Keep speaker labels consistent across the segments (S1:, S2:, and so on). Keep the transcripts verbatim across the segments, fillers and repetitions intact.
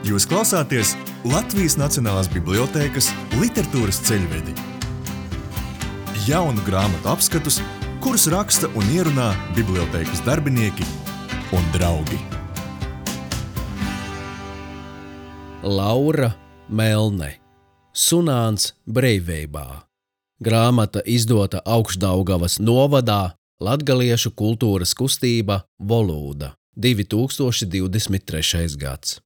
S1: Jūs klausāties Latvijas Nacionālās bibliotēkas literatūras ceļvedi. Jaunu grāmatu apskatus, kurus raksta un ierunā bibliotēkas darbinieki un draugi.
S2: Laura Melne, Sunāns Breivībā. Grāmata izdota Augšdaugavas novadā, Latgaliešu kultūras kustība Volūda, divi tūkstoši divdesmit trešais gads.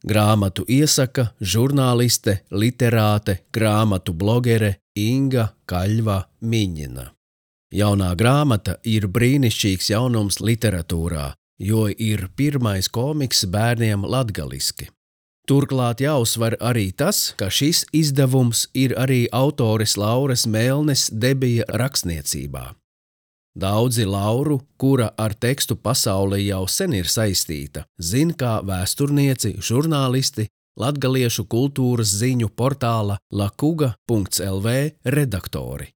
S2: Grāmatu iesaka žurnāliste, literāte, grāmatu blogere Inga Kaļva Miņina. Jaunā grāmata ir brīnišķīgs jaunums literatūrā, jo ir pirmais komiks bērniem latgaliski. Turklāt jāuzsver arī tas, ka šis izdevums ir arī autores Lauras Melnes debija rakstniecībā. Daudzi Lauru, kura ar tekstu pasauli jau sen ir saistīta, zin kā vēsturnieci, žurnālisti, latgaliešu kultūras ziņu portāla lakuga punkts el vē redaktori.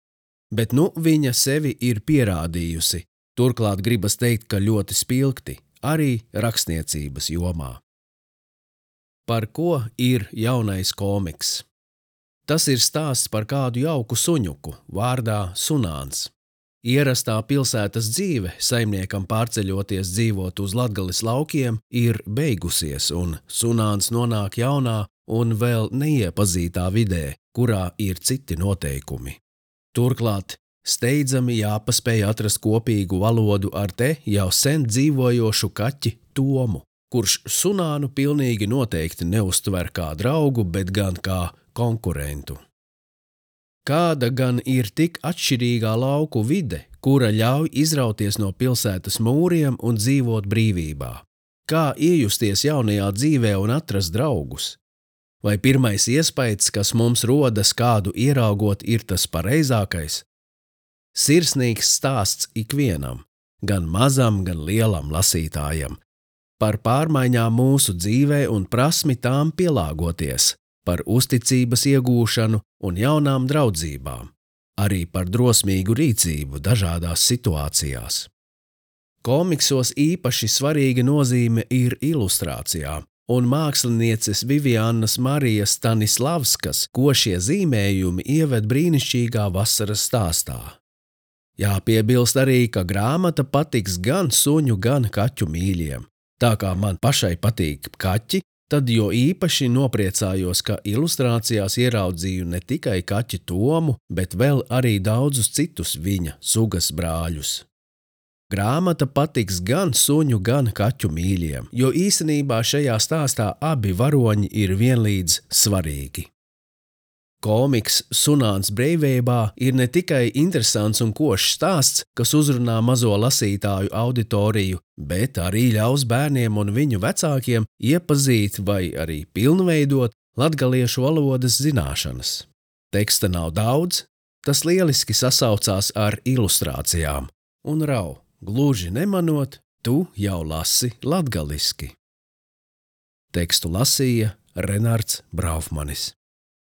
S2: Bet nu viņa sevi ir pierādījusi, turklāt gribas teikt, ka ļoti spilgti, arī rakstniecības jomā. Par ko ir jaunais komiks? Tas ir stāsts par kādu jauku suņuku, vārdā Sunāns. Ierastā pilsētas dzīve, saimniekam pārceļoties dzīvot uz Latgales laukiem, ir beigusies, un Sunāns nonāk jaunā un vēl neiepazītā vidē, kurā ir citi noteikumi. Turklāt steidzami jāpaspēj atrast kopīgu valodu ar te jau sen dzīvojošu kaķi Tomu, kurš Sunānu pilnīgi noteikti neuztver kā draugu, bet gan kā konkurentu. Kāda gan ir tik atšķirīgā lauku vide, kura ļauj izrauties no pilsētas mūriem un dzīvot brīvībā? Kā iejusties jaunajā dzīvē un atrast draugus? Vai pirmais iespējas, kas mums rodas kādu ieraugot, ir tas pareizākais? Sirsnīgs stāsts ikvienam, gan mazam, gan lielam lasītājam, par pārmaiņām mūsu dzīvē un prasmi tām pielāgoties, par uzticības iegūšanu un jaunām draudzībām, arī par drosmīgu rīcību dažādās situācijās. Komiksos īpaši svarīga nozīme ir ilustrācijām, un mākslinieces Viviannas Marijas Stanislavskas košie zīmējumi ieved brīnišķīgā vasaras stāstā. Jāpiebilst arī, ka grāmata patiks gan suņu, gan kaķu mīļiem. Tā kā man pašai patīk kaķi, tad jo īpaši nopriecājos, ka ilustrācijās ieraudzīju ne tikai kaķi Tomu, bet vēl arī daudzus citus viņa sugas brāļus. Grāmata patiks gan suņu, gan kaķu mīļiem, jo īstenībā šajā stāstā abi varoņi ir vienlīdz svarīgi. Komiks Sunāns Breivībā ir ne tikai interesants un košs stāsts, kas uzrunā mazo lasītāju auditoriju, bet arī ļaus bērniem un viņu vecākiem iepazīt vai arī pilnveidot latgaliešu valodas zināšanas. Teksta nav daudz, tas lieliski sasaucās ar ilustrācijām, un rau, gluži nemanot, tu jau lasi latgaliski. Tekstu lasīja Renards Braufmanis.